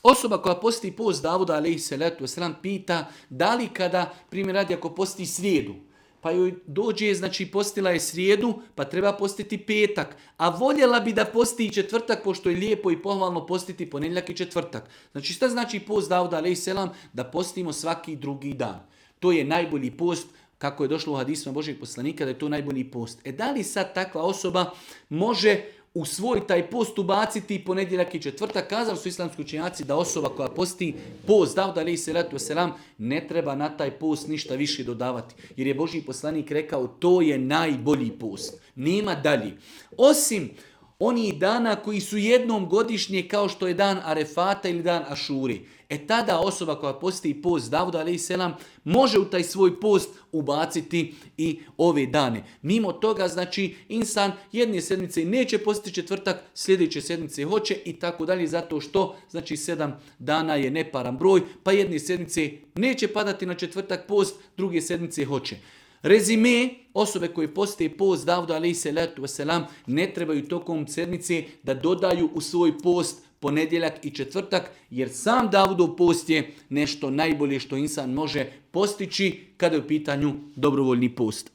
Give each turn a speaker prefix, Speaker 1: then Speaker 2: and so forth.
Speaker 1: Osoba koja posti post Davuda alejhi salatu vesselam pita da li kada, primjer radi, ako posti srijedu, pa joj dođe, znači postila je srijedu, pa treba postiti petak, a voljela bi da posti i četvrtak, pošto je lijepo i pohvalno postiti ponedjeljak i četvrtak. Znači šta znači post Davuda alejhi selam? Da postimo svaki drugi dan. To je najbolji post, kako je došlo u hadisima Božjeg poslanika, da je to najbolji post. Da li sad takva osoba može u svoj taj post ubaciti ponedjeljak i četvrtak? Kazali su islamski učenjaci da osoba koja posti post Davuda alejhi salatu vesselam ne treba na taj post ništa više dodavati. Jer je Božji poslanik rekao to je najbolji post. Nema dalje. Osim onih dana koji su jednom godišnje kao što je dan Arefata ili dan Ašuri. Tada osoba koja posti post Davuda alejhi selam može u taj svoj post ubaciti i ove dane. Mimo toga, znači, insan jedne sedmice neće postiti četvrtak, sljedeće sedmice hoće i tako dalje, zato što, znači, 7 dana je neparan broj, pa jedne sedmice neće padati na četvrtak post, druge sedmice hoće. Rezime, osobe koje poste post Davuda alejhi salatu vesselam ne trebaju tokom sedmice da dodaju u svoj post ponedjeljak i četvrtak, jer sam Davudov post je nešto najbolje što insan može postići kada je u pitanju dobrovoljni post.